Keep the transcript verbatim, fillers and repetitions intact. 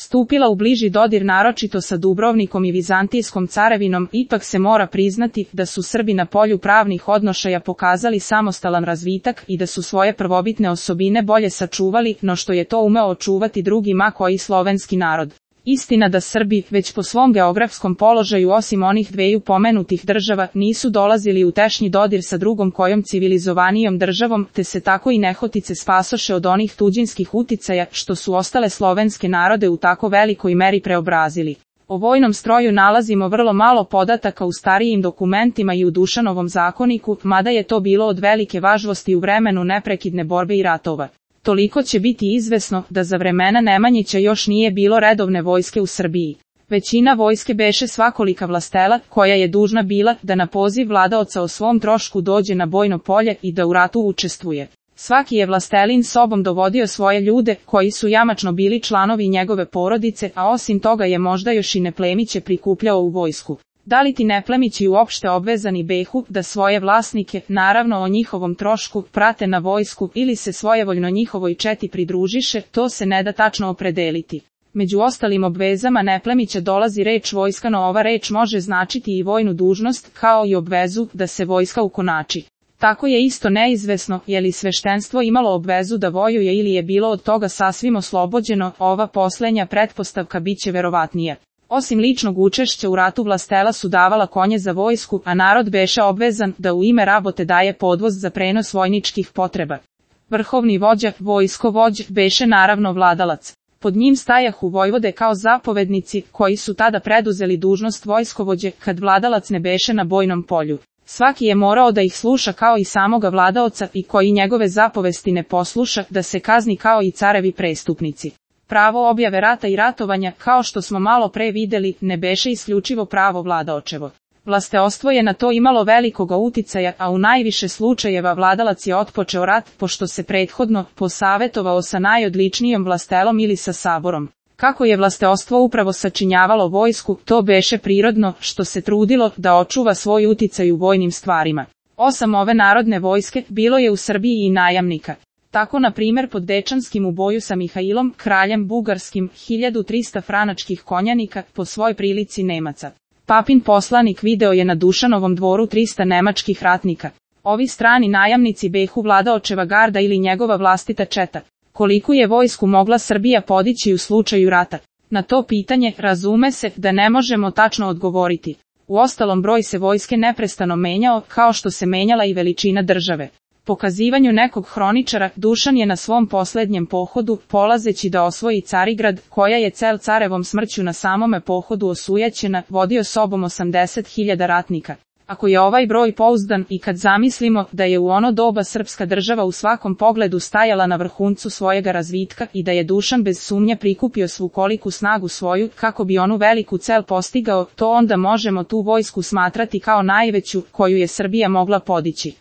stupila u bliži dodir naročito sa Dubrovnikom i Vizantijskom carevinom, ipak se mora priznati da su Srbi na polju pravnih odnošaja pokazali samostalan razvitak i da su svoje prvobitne osobine bolje sačuvali no što je to umeo očuvati drugi ma koji slovenski narod. Istina da Srbi, već po svom geografskom položaju osim onih dveju pomenutih država, nisu dolazili u tešnji dodir sa drugom kojom civilizovanijom državom, te se tako i nehotice spasoše od onih tuđinskih uticaja, što su ostale slovenske narode u tako velikoj meri preobrazili. O vojnom stroju nalazimo vrlo malo podataka u starijim dokumentima i u Dušanovom zakoniku, mada je to bilo od velike važnosti u vremenu neprekidne borbe i ratova. Toliko će biti izvesno da za vremena Nemanjića još nije bilo redovne vojske u Srbiji. Većina vojske beše svakolika vlastela, koja je dužna bila da na poziv vladaoca o svom trošku dođe na bojno polje i da u ratu učestvuje. Svaki je vlastelin sobom dovodio svoje ljude, koji su jamačno bili članovi njegove porodice, a osim toga je možda još i neplemiće prikupljao u vojsku. Da li ti neplemići uopšte obvezani behu da svoje vlasnike, naravno o njihovom trošku, prate na vojsku ili se svojevoljno njihovoj četi pridružiše, to se ne da tačno opredeliti. Među ostalim obvezama neplemića dolazi reč vojska, no ova reč može značiti i vojnu dužnost, kao i obvezu da se vojska ukonači. Tako je isto neizvesno je li sveštenstvo imalo obvezu da vojuje ili je bilo od toga sasvim oslobođeno, ova poslednja pretpostavka biće verovatnija. Osim ličnog učešća u ratu vlastela su davala konje za vojsku, a narod beše obvezan da u ime rabote daje podvoz za prenos vojničkih potreba. Vrhovni vođa, vojskovođ, beše naravno vladalac. Pod njim stajahu vojvode kao zapovednici, koji su tada preduzeli dužnost vojskovođe, kad vladalac ne beše na bojnom polju. Svaki je morao da ih sluša kao i samoga vladaoca i koji njegove zapovesti ne posluša, da se kazni kao i carevi prestupnici. Pravo objave rata i ratovanja, kao što smo malo pre videli, ne beše isključivo pravo vladaočevo. Vlasteostvo je na to imalo velikoga uticaja, a u najviše slučajeva vladalac je otpočeo rat, pošto se prethodno posavetovao sa najodličnijom vlastelom ili sa saborom. Kako je vlasteostvo upravo sačinjavalo vojsku, to beše prirodno, što se trudilo da očuva svoj uticaj u vojnim stvarima. Osam ove narodne vojske bilo je u Srbiji i najamnika. Tako na primjer pod Dečanskim u boju sa Mihailom, kraljem bugarskim, hiljadu trista franačkih konjanika, po svoj prilici Nemaca. Papin poslanik video je na Dušanovom dvoru trista nemačkih ratnika. Ovi strani najamnici behu vladaočeva garda ili njegova vlastita četa. Koliku je vojsku mogla Srbija podići u slučaju rata? Na to pitanje, razume se, da ne možemo tačno odgovoriti. Uostalom broj se vojske neprestano menjao, kao što se menjala i veličina države. Pokazivanju nekog hroničara, Dušan je na svom posljednjem pohodu, polazeći da osvoji Carigrad, koja je cel carevom smrću na samome pohodu osujećena, vodio sobom osamdeset hiljada ratnika. Ako je ovaj broj pouzdan i kad zamislimo da je u ono doba srpska država u svakom pogledu stajala na vrhuncu svojega razvitka i da je Dušan bez sumnje prikupio svu koliku snagu svoju kako bi onu veliku cel postigao, to onda možemo tu vojsku smatrati kao najveću koju je Srbija mogla podići.